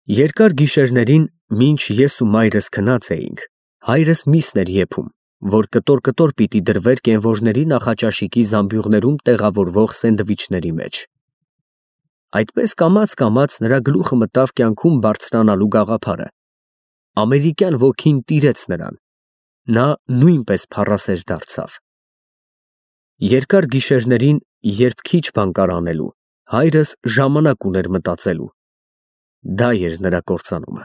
Երկար գիշերներին, մինչ ես ու մայրս քնած էինք, հայրս միսն էր եփում, որ կտոր պիտի դրվեր կենվորների նախաճաշիկի զամբյուղներում տեղավորվող սենդվիչների մեջ։ Այդպես կամաց նրա գլուխը մտավ կյանքում բարձրանալու գաղափարը։ Ամերիկյան ոգին տիրեց նրան, նա նույնպես փառասեր դարձավ։ Երկար գիշերներին, երբ քիչ բան կար անելու, հայրս ժամանակ ուներ մտածելու։ Դա էր նրա կործանումը։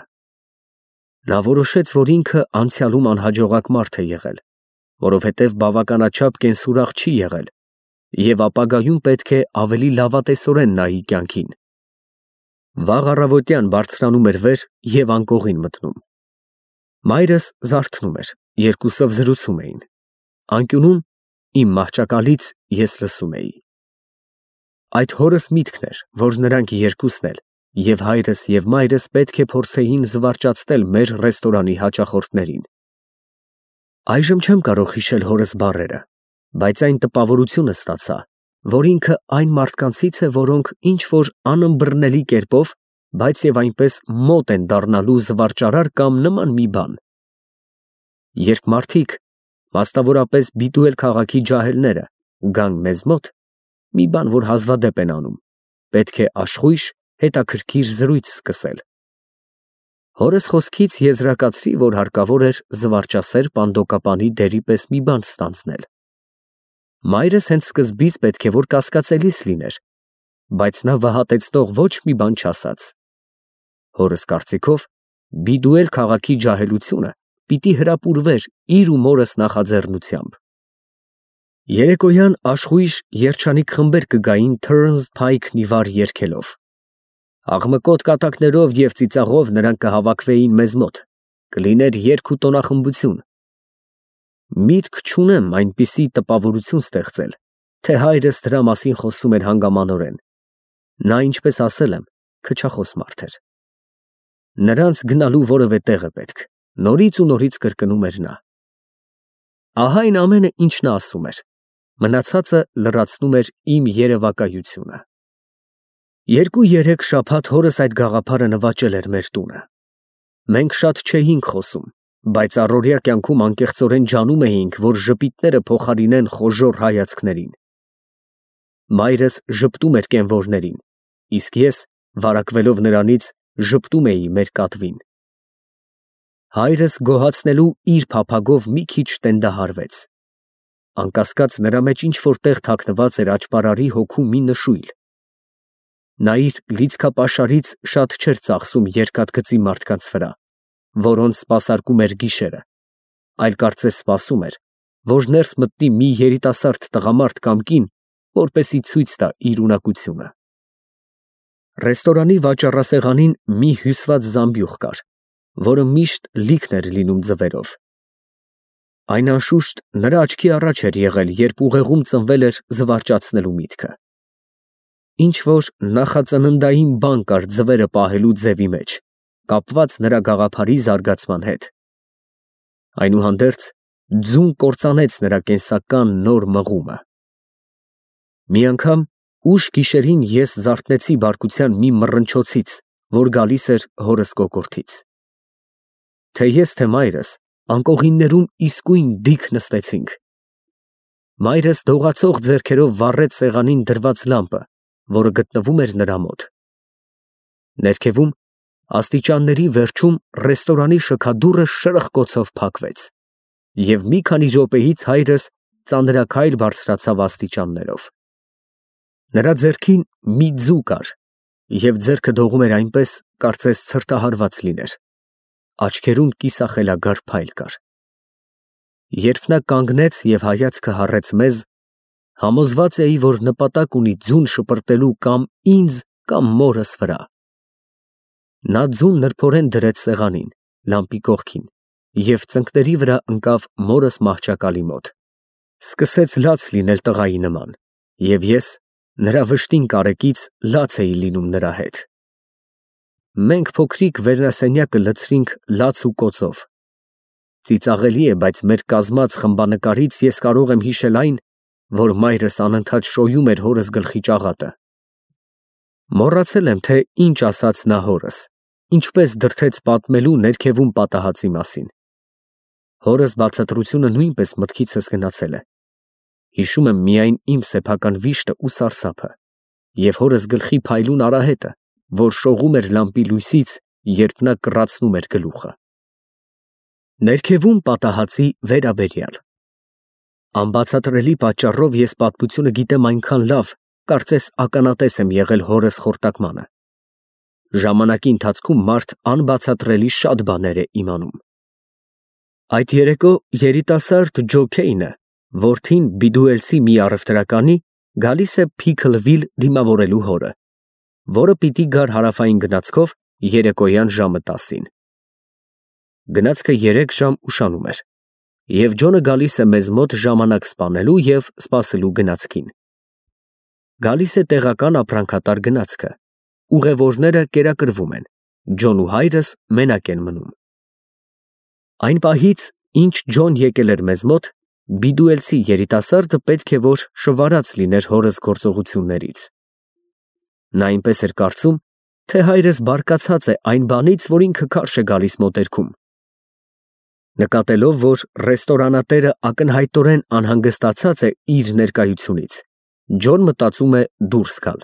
Նա որոշեց, որ ինքը անցյալում անհաջողակ մարդ է եղել, որովհետև բավականաչափ կենսուրախ չի եղել, և ապագայում պետք է ավելի լավատեսորեն նայի կյանքին։ Վաղ առավոտյան բարձրանում էր վեր և անկողին մտնում։ Մայրս զարթնում էր, երկուսով զրուցում էին։ Անկյունում իմ մահճակալից ես լսում էի։ Այդ հորս միտքն էր, որ նրանք երկուսն էլ, և հայրս և մայրս պետք է փորձեին զվարճացնել մեր ռեստորանի հաճախորդներին։ Այժմ չեմ կարող հիշել հորս բառերը, բայց այն տպավորությունը ստացա, որ ինքը այն մարդկանցից է, որոնք ինչ-որ անըմբռնելի կերպով, բայց և այնպես մոտ են դառնալու զվարճարար կամ նման մի բան։ Երբ մարդիկ, մասնավորապես Բիդուել քաղաքի ջահելները, գան մեզ մոտ, մի բան, որ հազվադեպ են անում, պետք է աշխույժ, հետաքրքիր զրույց սկսել։ Հորս խոսքից եզրակացրի, որ հարկավոր էր զվարճասեր պանդոկապանի դերի պես մի բան ստանձնել։ Մայրս հենց սկզբից պետք է որ կասկածելիս լիներ, բայց նա վհատեցնող ոչ մի բան չասաց։ Հորս կարծիքով, Բիդուել քաղաքի ջահելությունը պիտի հրապուրվեր իր ու մորս նախաձեռնությամբ։ Երեկոյան աշխույժ երջանիկ խմբեր կգային Turns Pike-ի վար երգելով։ Աղմկոտ կատակներով և ծիծաղով նրանք կհավաքվեին մեզ մոտ, կլիներ երգ ու տոնախմբություն։ Միտք չունեմ այնպիսի տպավորություն ստեղծել, թե հայրս դրա մասին խոսում էր հանգամանորեն։ Նա, ինչպես ասել եմ, քչախոս մարդ էր։ Նրանց գնալու որևէ տեղ է պետք, նորից կրկնում էր նա։ Ահա այն ամենը, ինչ նա ասում էր, մնացածը լրացնում էր իմ երևակայությունը։ 2-3 շաբաթ հորս այդ գաղափարը նվաճել էր մեր տունը։ Մենք շատ չէինք խոսում, բայց առօրյա կյանքում անկեղծորեն ջանում էինք, որ ժպիտները փոխարինեն խոժոռ հայացքներին։ Մայրս ժպտում էր կենվորներին, իսկ ես, վարակվելով նրանից, ժպտում էի մեր կատվին։ Հայրս գոհացնելու իր փափագով մի քիչ տենդահարվեց։ Անկասկած նրա մեջ ինչ-որ տեղ թաքնված էր աճպարարի հոգու մի նշույլ։ Նա իր լիցքապաշարից շատ չէր ծախսում երկաթգծի մարդկանց վրա, որոնց սպասարկում էր գիշերը, այլ կարծես սպասում էր, որ ներս մտնի մի երիտասարդ տղամարդ կամ կին, որպեսզի ցույց տա իր ունակությունը։ Ռեստորանի վաճառասեղանին մի հյուսված զամբյուղ կար, որը միշտ լիքն էր լինում ձվերով։ Այն անշուշտ նրա աչքի առաջ էր եղել, երբ ուղեղում ծնվել էր զվարճացնելու միտքը։ Ինչ-որ նախածննդային բան կար ձվերը պահելու ձևի մեջ, կապված նրա գաղափարի զարգացման հետ։ Այնուհանդերձ, ձուն կործանեց նրա կենսական նոր մղումը։ Մի անգամ ուշ գիշերին ես զարթնեցի բարկության մի մռնչոցից, որ գալիս էր հորս կոկորդից։ Թե ես, թե մայրս անկողիններում իսկույն դիկ նստեցինք։ Մայրս դողացող ձեռքերով վառեց սեղանին դրված լամպը, որը գտնվում էր նրա մոտ։ Ներքևում, աստիճանների վերջում ռեստորանի շքադուռը շրխկոցով փակվեց, և մի քանի րոպեից հայրս ծանրաքայլ բարձրացավ աստիճաններով։ Նրա ձեռքին մի ձու կար, և ձեռքը դողում էր այնպես, կարծես ցրտահարված լիներ։ Աչքերում կիսախելագար փայլ կար։ Երբ նա կանգնեց և հայացքը հառեց մեզ, համոզված էի, որ նպատակ ունի ձուն շպրտելու կամ ինձ, կամ մորս վրա։ Նա ձուն նրբորեն դրեց սեղանին, լամպի կողքին, և ծնկների վրա ընկավ մորս մահճակալի մոտ։ Սկսեց լաց լինել տղայի նման, և ես, նրա վշտին կարեկից, լաց էի լինում նրա հետ։ Մենք փոքրիկ վերնասենյակը լցրինք լաց ու կոծով։ Ծիծաղելի է, բայց մեր կազմած խմբանկարից ես կարող եմ հիշել այն, որ մայրս անընդհատ շոյում էր հորս գլխի ճաղատը։ Մոռացել եմ, թե ինչ ասաց նա հորս, ինչպես դրդեց պատմելու ներքևում պատահածի մասին։ Հորս բացատրությունը նույնպես մտքիցս գնացել է։ Հիշում եմ միայն իմ սեփական վիշտը ու սարսափը, և հորս գլխի փայլուն արահետը, որ շողում էր լամպի լույսից, երբ նա կռացնում էր գլուխը։ Ներքևում պատահածի վերաբերյալ։ Անբացատրելի պատճառով ես պատմությունը գիտեմ այնքան լավ, կարծես ականատես եմ եղել հորս խորտակմանը։ Ժամանակի ընթացքում մարդ անբացատրելի շատ բաներ է իմանում։ Այդ երեկո երիտասարդ Ջո Քեյնը, որդին Բիդուելցի մի առևտրականի, գալիս է Փիքլվիլ դիմավորելու հորը, որը պիտի գար հարավային գնացքով երեկոյան ժամը 10-ին։ Գնացքը 3 ժամ ուշանում էր, և Ջոնը գալիս է մեզ մոտ ժամանակ սպանելու և սպասելու գնացքին։ Գալիս է տեղական ապրանքատար գնացքը, ուղևորները կերակրվում են, Ջոն ու հայրս մենակ են մնում։ Այն պահից, ինչ Ջոն եկել էր մեզ մոտ, Բիդուելցի երիտասարդը պետք է որ շվարած լիներ հորս գործողություններից։ Նա այնպես էր կարծում, թե հայրս բարկացած է այն բանից, որ ինքը քարշ է գալիս մոտերքում։ Նկատելով, որ ռեստորանատերը ակնհայտորեն անհանգստացած է իր ներկայությունից, Ջոն մտածում է դուրս գալ։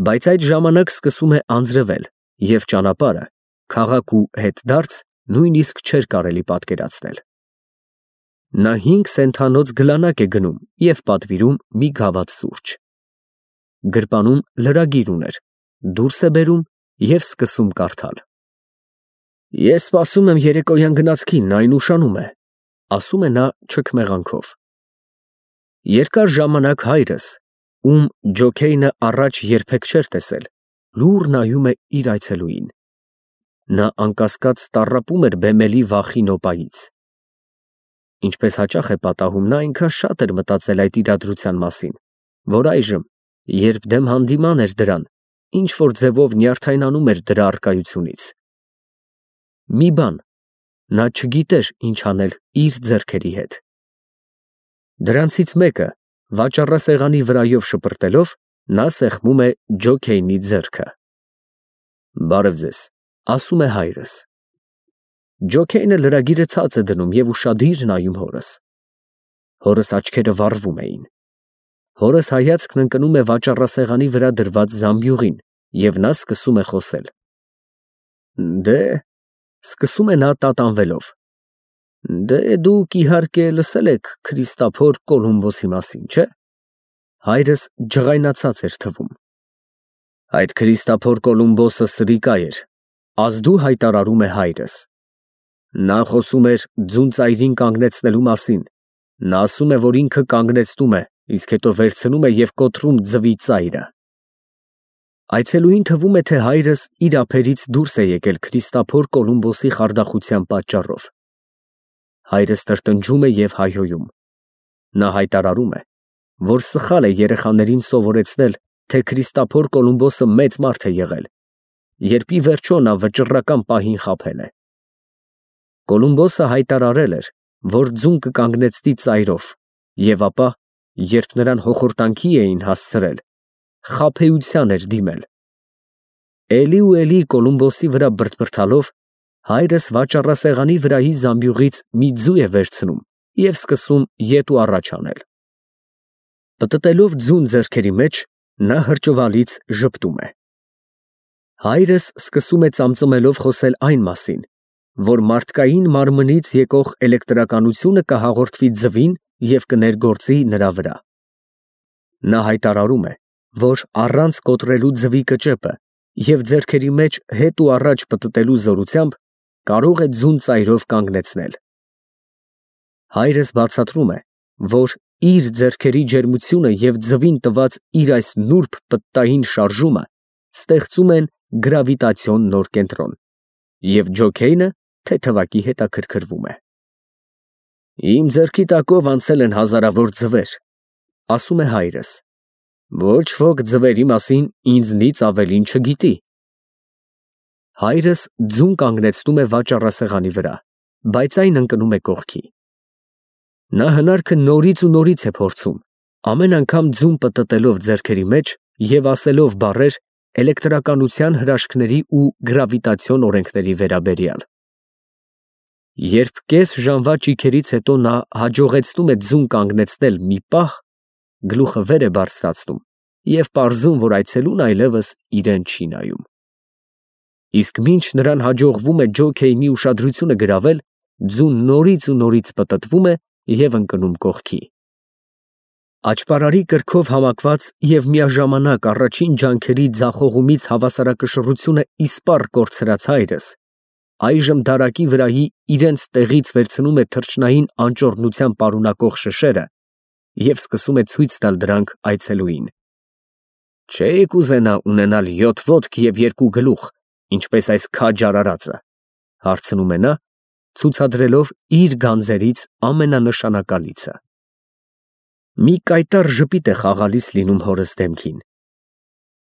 Բայց այդ ժամանակ սկսում է անձրևել, և ճանապարհը, քաղաք ու հետդարձ նույնիսկ չէր կարելի պատկերացնել։ Նա 5 սենթանոց գլանակ է գնում և պատվիրում մի գավաթ սուրճ։ Գրպանում լրագիր ուներ, դուրս է բերում և սկսում կարդալ։ Ես սպասում եմ երեկոյան գնացքին, այն ուշանում է, ասում է նա չքմեղանքով։ Երկար ժամանակ հայրս, ում Ջո Քեյնը առաջ երբեք չէր տեսել, լուռ նայում է իր այցելուին։ Նա անկասկած տառապում էր բեմելի վախի նոպայից։ Ինչպես հաճախ է պատահում, նա այնքան շատ էր մտածել այդ իրադրության մասին, որ այժմ, երբ դեմ հանդիման էր դրան, ինչ-որ ձևով նյարդայնանում էր դրա առկայությունից։ Մի բան, նա չգիտեր ինչ անել իր ձեռքերի հետ։ Դրանցից մեկը, վաճառասեղանի վրայով շպրտելով, նա սեղմում է Ջո Քեյնի ձեռքը։ Բարև ձեզ, ասում է հայրս։ Ջո Քեյնը լրագիրը ցած է դնում և ուշադիր նայում հորս։ Հորս աչքերը վառվում էին։ Հորս հայացքն ընկնում է վաճառասեղանի վրա դրված զամբյուղին, և նա սկսում է խոսել։ Դե, սկսում է նա տատանվելով։ Դե դուք իհարկե լսել եք Քրիստափոր Կոլումբոսի մասին, չէ՞։ Հայրս ջղայնացած էր թվում։ Այդ Քրիստափոր Կոլումբոսը սրիկա էր, ազդու հայտարարում է հայրս։ Նա խոսում էր ձուն ծայրին կանգնեցնելու մասին։ Նա ասում է, որ ինքը կանգնեցնում է, իսկ հետո վերցնում է և կոտրում ձվի ծայրը։ Այցելուին թվում է, թե հայրս իր ափերից դուրս է եկել Քրիստափոր Կոլումբոսի խարդախության պատճառով։ Հայրս տրտնջում է և հայհոյում։ Նա հայտարարում է, որ սխալ է երեխաներին սովորեցնել, թե Քրիստափոր Կոլումբոսը մեծ մարդ է եղել, երբ ի վերջո նա վճռական պահին խաբել է։ Կոլումբոսը հայտարարել էր, որ ձուն կկանգնեցնի ծայրով, և ապա, երբ նրան հոխորտանքի էին հասցրել, խաբեության էր դիմել։ Էլի ու էլի Կոլումբոսի վրա բրդբրդալով, հայրս վաճառասեղանի վրայի զամբյուղից մի ձու է վերցնում և սկսում ետ ու առաջ անել։ Պտտելով ձուն ձեռքերի մեջ, նա հրճվալից ժպտում է։ Հայրս սկսում է ծամծմելով խոսել այն մասին, որ մարդկային մարմնից եկող էլեկտրականությունը կհաղորդվի ձվին և կներգործի նրա վրա։ Նա հայտարարում է, որ առանց կոտրելու ձվի կճեպը և ձեռքերի մեջ հետ ու առաջ պտտելու զորությամբ կարող է ձուն ծայրով կանգնեցնել։ Հայրս բացատրում է, որ իր ձեռքերի ջերմությունը և ձվին տված իր այս նուրբ պտտային շարժումը ստեղծում են գրավիտացիոն նոր կենտրոն, և Ջո Քեյնը թեթևակի հետաքրքրվում է։ Իմ ձեռքի տակով անցել են հազարավոր ձվեր, ասում է հայրս։ Ոչ ոք ձվերի մասին ինձնից ավելին չգիտի։ Հայրս ձուն կանգնեցնում է վաճառասեղանի վրա, բայց այն ընկնում է կողքի։ Նա հնարքը նորից ու նորից է փորձում, ամեն անգամ ձուն պտտելով ձեռքերի մեջ և ասելով բառեր, էլեկտրականության հրաշքների ու գրավիտացիոն օրենքների վերաբերյալ։ Երբ կես ժամվա ճիգերից հետո նա հաջողեցնում է ձուն կանգնեցնել մի պահ, գլուխը վեր է բարձրացնում և պարզում, որ այցելուն այլևս իրեն չի նայում։ Իսկ մինչ նրան հաջողվում է ջոքեյնի ուշադրությունը գրավել, ձուն նորից ու նորից պտտվում է և ընկնում կողքի։ Աճպարարի կրքով համակված և միաժամանակ առաջին ջանքերի ձախողումից հավասարակշռությունը իսպառ կորցրած հայրս այժմ դարակի վրայի իրենց տեղից վերցնում է թռչնային անճոռնությամբ պարունակող շշերը և սկսում է ցույց տալ դրանք այցելուին։ Չէիք ուզենա ունենալ 7 ոտք և 2 գլուխ, ինչպես այս քաջ արարածը, հարցնում է նա, ցուցադրելով իր գանձերից ամենանշանակալիցը։ Մի կայտառ ժպիտ է խաղալիս լինում հորս դեմքին։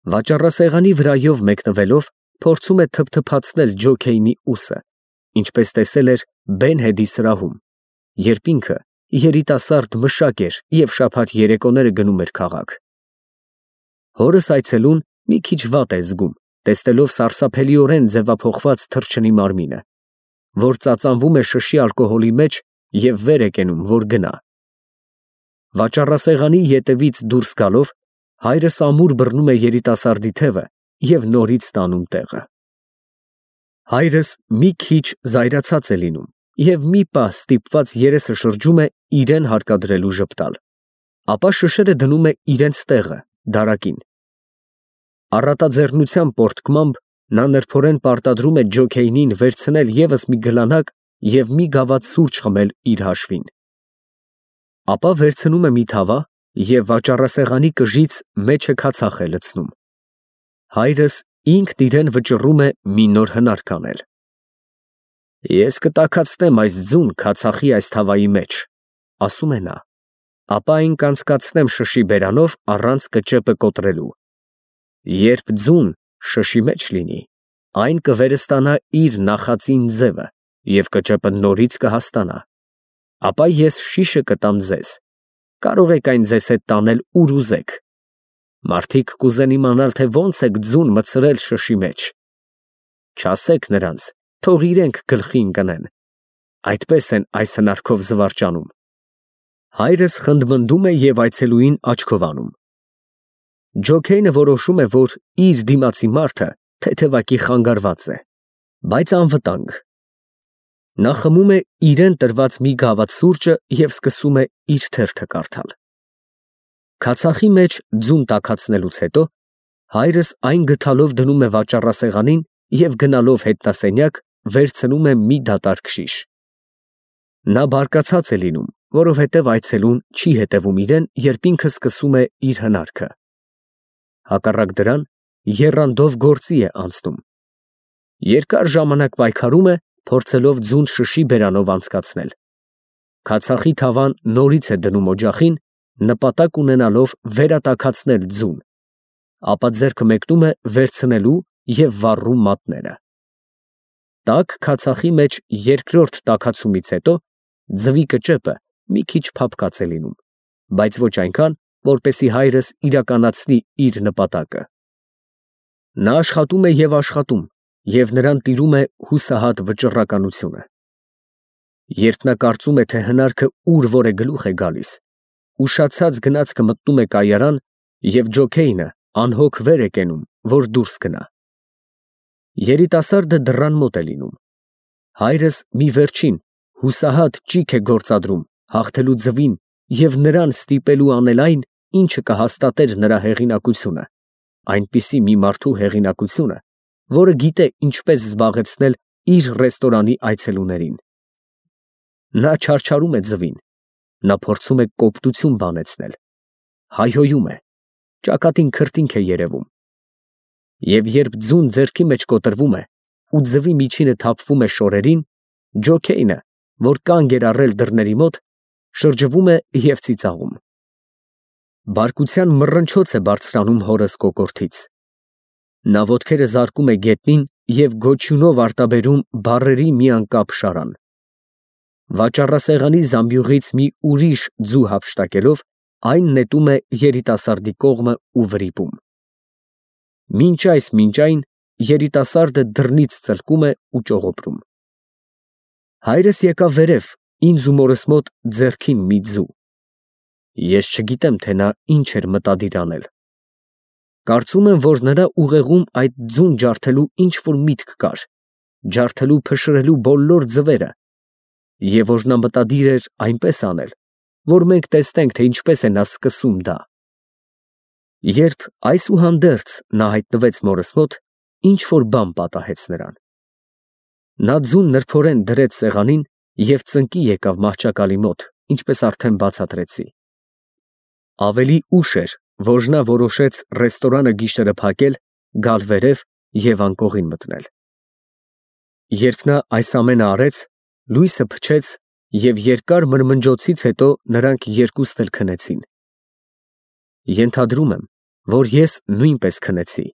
Վաճառասեղանի վրայով մեկնվելով փորձում է թփթփացնել ջոքեյնի ուսը, ինչպես տեսել էր Բեն-Հեդի սրահում, երբ ինքը երիտասարդ մշակ էր և շաբաթ երեկոները գնում էր քաղաք։ Հորս այցելուն մի քիչ վատ է զգում, տեսնելով սարսափելիորեն ձևափոխված թռչնի մարմինը, որ ծածանվում է շշի ալկոհոլի մեջ և վեր է կենում, որ գնա։ Վաճառասեղանի ետևից դուրս գալով, հայրս ամուր բռնում է երիտասարդի թևը և նորից տանում տեղը։ Հայրս մի քիչ զայրացած է լինում և մի պահ ստիպված երեսը շրջում է իրեն հարկադրելու ժպտալ, ապա շշերը դնում է իրենց տեղը, դարակին։ Առատաձեռնության պոռթկմամբ նա նրբորեն պարտադրում է ջոքեյնին վերցնել ևս մի գլանակ և մի գավաթ սուրճ խմել իր հաշվին։ Ապա վերցնում է մի թավա և վաճառասեղանի կժից մեջը քացախ է լցնում։ Հայրս ինքն իրեն վճռում է մի նոր հնարք անել։ Ես կտաքացնեմ այս ձուն քացախի այս թավայի մեջ, ասում է նա, ապա այն կանցկացնեմ շշի բերանով առանց կճեպը կոտրելու։ Երբ ձուն շշի մեջ լինի, այն կվերստանա իր նախածին ձևը և կճեպը նորից կհաստանա։ Ապա ես շիշը կտամ ձեզ, կարող եք այն ձեզ հետ տանել ուր ուզեք։ Մարդիկ կուզեն իմանալ, թե ոնց եք ձուն մտցրել շշի մեջ։ Չասեք նրանց, թող իրենք գլխի ընկնեն։ Այդպես են այս հնարքով զվարճանում։ Հայրս խնդմնդում է և այցելուին աչքով անում։ Ջոքեյնը որոշում է, որ իր դիմացի մարդը թեթևակի խանգարված է, բայց անվտանգ։ Նա խմում է իրեն տրված մի գավաթ սուրճը և սկսում է իր թերթը կարդալ։ Քացախի մեջ ձուն տաքացնելուց հետո հայրս այն գթալով դնում է վաճառասեղանին և գնալով հետնասենյակ վերցնում է մի դատարկ շիշ։ Նա բարկացած է լինում, որովհետև այցելուն չի հետևում իրեն, երբ ինքը սկսում է իր հնարքը։ Հակառակ դրան, եռանդով գործի է անցնում։ Երկար ժամանակ պայքարում է, փորձելով ձուն շշի բերանով անցկացնել։ Քացախի թավան նորից է դնում օջախին, նպատակ ունենալով վերատաքացնել ձուն, ապա ձեռքը մեկնում է վերցնելու և վառում մատները։ Տաք քացախի մեջ երկրորդ տաքացումից հետո ձվի կճեպը մի քիչ փափկած է լինում, բայց ոչ այնքան, որպեսզի հայրս իրականացնի իր նպատակը։ Նա աշխատում է և նրան տիրում է հուսահատ վճռականությունը։ Երբ նա կարծում է, թե հնարքը ուր որ է գլուխ է գալիս, ուշացած գնացքը մտնում է կայարան և ջոքեյնը անհոգ վեր է կենում, որ դուրս գնա։ Երիտասարդը դռան մոտ է լինում։ Հայրս մի վերջին հուսահատ ճիգ է գործադրում հաղթելու ձվին և նրան ստիպելու անել այն, ինչը կհաստատեր նրա հեղինակությունը, այնպիսի մի մարդու հեղինակությունը, որը գիտե ինչպես զբաղեցնել իր ռեստորանի այցելուներին։ Նա չարչարում է ձվին, նա փորձում է կոպտություն բանեցնել, հայհոյում է, ճակատին քրտինք է երևում։ Եվ երբ ձուն ձեռքի մեջ կոտրվում է ու ձվի միջինը թափվում է շորերին, ջոքեյնը, որ կանգ էր առել դռների մոտ, շրջվում է և ծիծաղում։ Բարկության մռնչոց է բարձրանում հորս կոկորդից։ Նա ոտքերը զարկում է գետնին և գոչյունով արտաբերում բառերի մի անկապ շարան։ Վաճառասեղանի զամբյուղից մի ուրիշ ձու հափշտակելով, այն նետում է երիտասարդի կողմը ու վրիպում։ Մինչ այն երիտասարդը դռնից ծլկում է ու ճողոպրում։ Հայրս եկավ վերև, ինձ ու մորս մոտ ձեռքին մի ձու։ Ես չգիտեմ, թե նա ինչ էր մտադիր անել։ Կարծում եմ, որ նրա ուղեղում այդ ձուն ջարդելու ինչ-որ միտք կար, ջարդելու փշրելու բոլոր ձվերը, և որ նա մտադիր էր այնպես անել, որ մենք տեսնենք, թե ինչպես է նա սկսում դա։ Երբ այսուհանդերձ նա հայտնվեց մորս մոտ, ինչ-որ բան պատահեց նրան։ Նա ձուն նրբորեն դրեց սեղանին և ծնկի եկավ մահճակալի մոտ, ինչպես արդեն բացատրեցի։ Ավելի ուշ էր, որ նա որոշեց ռեստորանը գիշերը փակել, գալ վերև և անկողին մտնել։ Երբ նա այս ամենը արեց, լույսը փչեց և երկար մրմնջոցից հետո նրանք երկուսն էլ քնեցին։ Ենթադրում եմ, որ ես նույնպես քնեցի,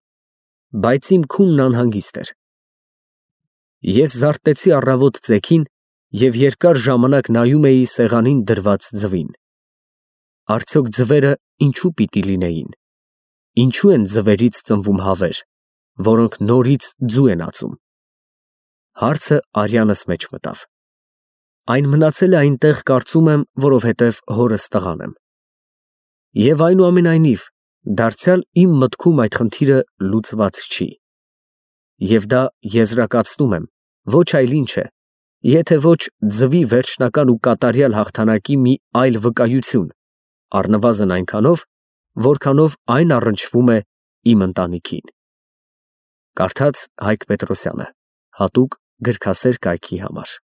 բայց իմ քունն անհանգիստ էր։ Ես զարթնեցի առավոտ ծեքին և երկար ժամանակ նայում էի սեղանին դրված ձվին։ Արդյոք ձվերը ինչու պիտի լինեին։ Ինչու են ձվերից ծնվում հավեր, որոնք նորից ձու են ածում։ Հարցը արյանս մեջ մտավ։ Այն մնացել է այնտեղ, կարծում եմ, որովհետև հորս տղան եմ։ Եվ այնուամենայնիվ, դարձյալ իմ մտքում այդ խնդիրը լուծված չի։ Եվ դա եզրակացնում եմ, ոչ այլ ինչ է, եթե ոչ ձվի վերջնական ու կատարյալ հաղթանակի մի այլ վկայություն, առնվազն այնքանով, որքանով այն առնչվում է իմ ընտանիքին։ Կարդաց Հայկ Պետրոսյանը, հատուկ գրքասեր կայքի համար։